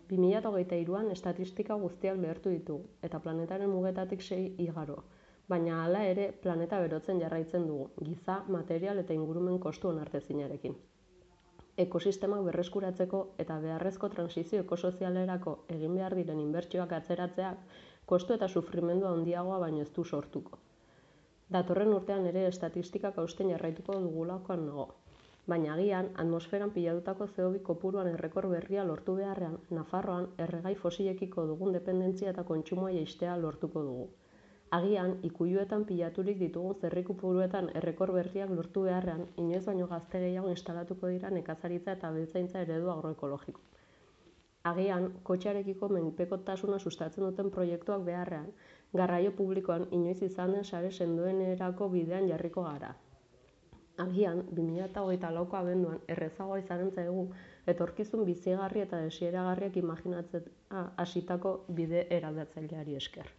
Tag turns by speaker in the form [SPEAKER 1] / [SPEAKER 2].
[SPEAKER 1] 2023an estatistika guztiak lehertu ditugu, eta planetaren mugetatik 6 igaro. Baina hala ere, planeta berotzen jarraitzen dugu, giza, material eta ingurumen kostu onartezinarekin. Ekosistemak berreskuratzeko eta beharrezko transizio ekosozialerako egin behar diren inbertsioak atzeratzeak, kostu eta sufrimendu handiagoa baino ez du sortuko. Datorren urtean ere estatistikak hausten jarraituko dugulakoan nago. Baina agian, atmosferan pilatutako CO2 kopuruan errekor berria lortu beharrean, Nafarroan erregai fosilekiko dugun dependentzia eta kontsumoa jaistea lortuko dugu. Agian, ikuiluetan pilaturik ditugun zerrikopuruetan errekor berriak lortu beharrean, inoiz baino gazte gehiago instalatuko dira nekazaritza eta abeltzaintza eredu agroekologiko. Agian, kotxearekiko menpekotasuna sustatzen duten proiektuak beharrean, garraio publikoan inoiz izan den sare sendoenerako bidean jarriko gara. Agian, 2024ko abenduan errezagoa izanen zaigu etorkizun bizigarri eta desiragarriak imaginatzen hasitako bide eraldatzaileari esker.